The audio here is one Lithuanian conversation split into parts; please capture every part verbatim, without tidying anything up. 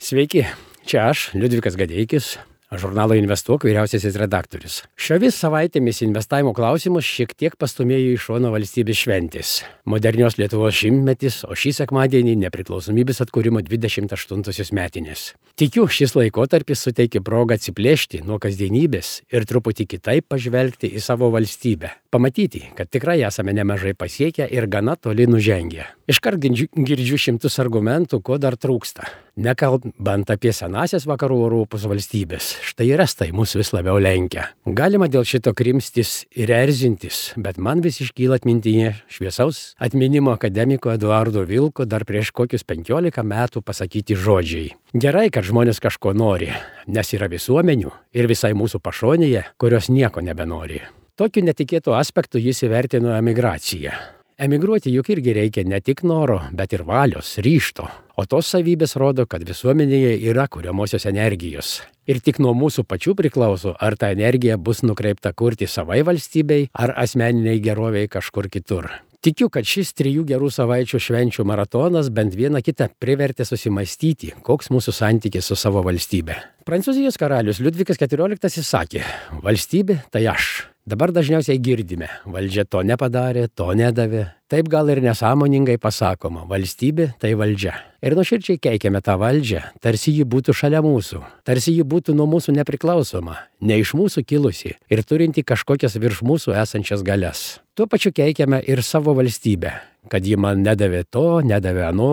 Sveiki, čia aš, Liudvikas Gadeikis, žurnalo Investuok vyriausiasis redaktorius. Šiomis savaitėmis investavimo klausimus šiek tiek pastumėjo į šoną valstybės šventės. Modernios Lietuvos šimtmetis, o šį sekmadienį nepriklausomybės atkūrimo dvidešimt aštuntosios metinės. Tikiu, šis laikotarpis suteikia progą atsiplėšti nuo kasdienybės ir truputį kitaip pažvelgti į savo valstybę. Pamatyti, kad tikrai esame nemažai pasiekę ir gana toli nužengę. Iškart girdžiu šimtus argumentų, ko dar trūksta. Nekalbant apie senasias vakarų Europos valstybės, štai ir estai mus vis labiau lenkia. Galima dėl šito krimstis ir erzintis, bet man vis iškyla atmintyje šviesaus atminimo akademiko Eduardo Vilko dar prieš kokius penkiolika metų pasakyti žodžiai. Gerai, kad žmonės kažko nori, nes yra visuomenių ir visai mūsų pašonėje, kurios nieko nebenori. Tokiu netikėtu aspektu jis įvertino emigraciją. Emigruoti juk irgi reikia ne tik noro, bet ir valios, ryžto. O tos savybės rodo, kad visuomenėje yra kuriamosios energijos. Ir tik nuo mūsų pačių priklauso, ar ta energija bus nukreipta kurti savai valstybei, ar asmeniniai geroviai kažkur kitur. Tikiu, kad šis trijų gerų savaičių švenčių maratonas bent vieną kitą privertė susimastyti, koks mūsų santykis su savo valstybe. Prancūzijos karalius Liudvikas keturioliktasis sakė, valstybė tai aš. Dabar dažniausiai girdime, valdžia to nepadarė, to nedavė. Taip gal ir nesąmoningai pasakoma, valstybė tai valdžia. Ir nuoširdžiai keikiame tą valdžią, tarsi ji būtų šalia mūsų, tarsi ji būtų nuo mūsų nepriklausoma, ne iš mūsų kilusi ir turinti kažkokias virš mūsų esančias galias. Tuo pačiu keikiame ir savo valstybę, kad ji man nedavė to, nedavė ano,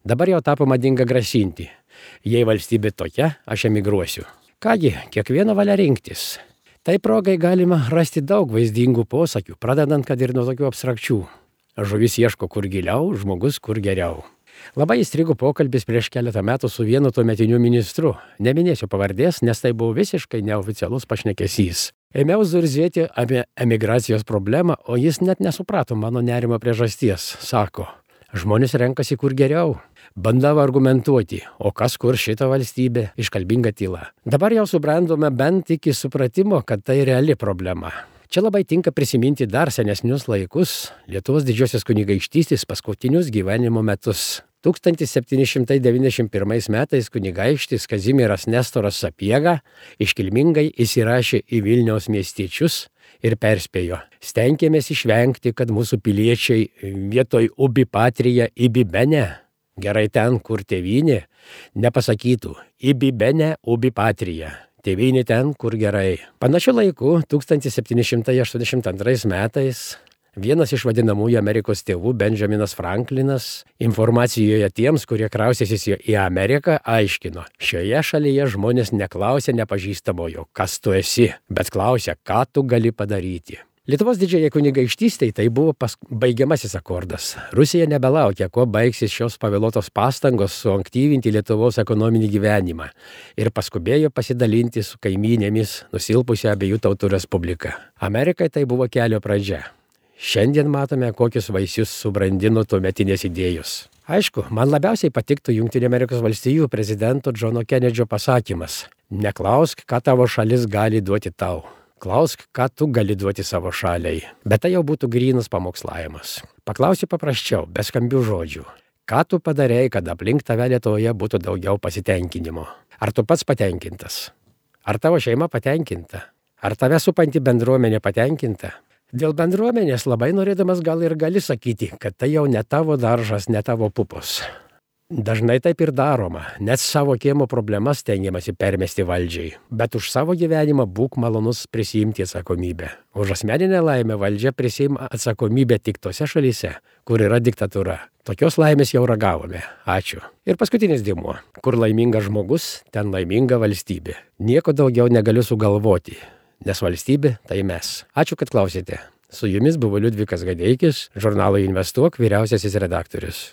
dabar jau tapo madinga grasinti. Jei valstybė tokia, aš emigruosiu. Kągi, kiekvieno valia rinktis. Tai progai galima rasti daug vaizdingų posakių, pradedant kad ir nuo tokių abstrakčių. Žuvis ieško kur giliau, žmogus kur geriau. Labai įstrigo pokalbis prieš keletą metų su vienu tuometiniu ministru. Neminėsiu pavardės, nes tai buvo visiškai neoficialus pašnekesys. Ėmiau zurzėti apie emigracijos problemą, o jis net nesuprato mano nerimo priežasties. Sako, žmonės renkasi kur geriau. Bandavo argumentuoti, o kas kur šita valstybė, iškalbinga tyla. Dabar jau subrendome bent iki supratimo, kad tai reali problema. Čia labai tinka prisiminti dar senesnius laikus, Lietuvos didžiosios kunigaikštystės paskutinius gyvenimo metus. tūkstantis septyni šimtai devyniasdešimt pirmais metais kunigaikštis Kazimieras Nestoras Sapiega iškilmingai įsirašė į Vilniaus miestiečius ir perspėjo. Stenkėmės išvengti, kad mūsų piliečiai vietoj ubi patrija ibi bene, gerai ten, kur tėvynė, nepasakytų ibi bene ubi patrija. Tėvynė ten, kur gerai. Panašiu laiku, tūkstantis septyni šimtai aštuoniasdešimt antrais metais, vienas iš vadinamųjų Amerikos tėvų, Benjaminas Franklinas, informacijoje tiems, kurie kraustėsis į Ameriką, aiškino, šioje šalyje žmonės neklausia nepažįstamojo, kas tu esi, bet klausia, ką tu gali padaryti. Lietuvos didžiajai kunigaikštystei tai buvo pas... baigiamasis akordas. Rusija nebelaukia, kuo baigsis šios pavėluotos pastangos suaktyvinti Lietuvos ekonominį gyvenimą ir paskubėjo pasidalinti su kaimynėmis nusilpusią abiejų tautų respubliką. Amerikai tai buvo kelio pradžia. Šiandien matome, kokius vaisius subrandino tuometinės idėjos. Aišku, man labiausiai patiktų Jungtinių Amerikos valstijų prezidento Džono Kenedžio pasakymas: neklausk, ką tavo šalis gali duoti tau. Klausk, ką tu gali duoti savo šaliai. Bet tai jau būtų grynas pamokslavimas. Paklausi paprasčiau, be skambių žodžių. Ką tu padarei, kad aplink tave Lietuvoje būtų daugiau pasitenkinimo? Ar tu pats patenkintas? Ar tavo šeima patenkinta? Ar tave supanti bendruomenė patenkinta? Dėl bendruomenės labai norėdamas gal ir gali sakyti, kad tai jau ne tavo daržas, ne tavo pupos. Dažnai taip ir daroma, net savo kiemo problemas stengiamasi permesti valdžiai, bet už savo gyvenimą būk malonus prisiimti atsakomybę. Už asmeninę laimę valdžia prisiima atsakomybę tik tose šalyse, kur yra diktatūra. Tokios laimės jau ragavome. Ačiū. Ir paskutinis dėmuo. Kur laimingas žmogus, ten laiminga valstybė. Nieko daugiau negaliu sugalvoti, nes valstybė tai mes. Ačiū, kad klausėte. Su jumis buvo Liudvikas Gadeikis, žurnalo Investuok vyriausiasis redaktorius.